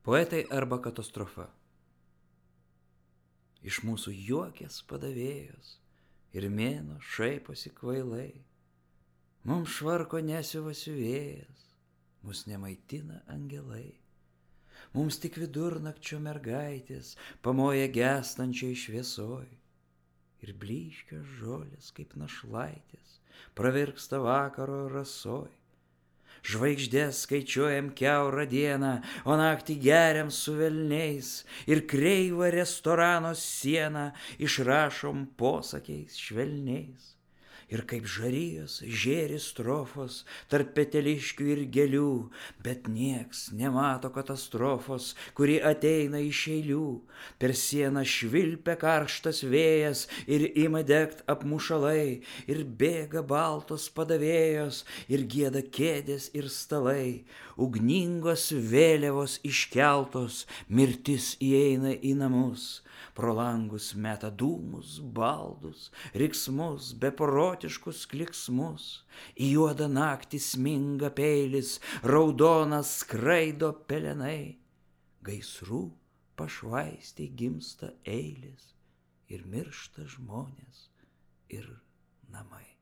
Poetai arba katastrofa. Iš mūsų juokės padavėjos ir mėno šaiposi kvailai. Mums švarko nesiuva siuvėjas, mus nemaitina angelai. Mums tik vidurnakčio mergaitės pamoja gęstančiai šviesoj. Ir blyškios žolės kaip našlaitės pravirksta vakaro rasoj. Žvaigždės skaičiuojam kiaurą dieną, o naktį geriam su velniais. Ir kreivą restorano sieną išrašom posakiais švelniais. Ir kaip žarijos žėri strofos tarp peteliškių ir gėlių, bet nieks nemato katastrofos, kuri ateina iš eilių. Per sieną švilpia karštas vėjas ir ima degt apmušalai, ir bėga baltos padavėjos ir gieda kėdės ir stalai. Ugningos vėliavos iškeltos, mirtis įeina į namus. Pro langus meta dūmus, baldus, riksmus, beprotiškus kliksmus. Į juodą naktį sminga peilis, raudonas skraido pelenai. Gaisrų pašvaistei gimsta eilės ir miršta žmonės ir namai.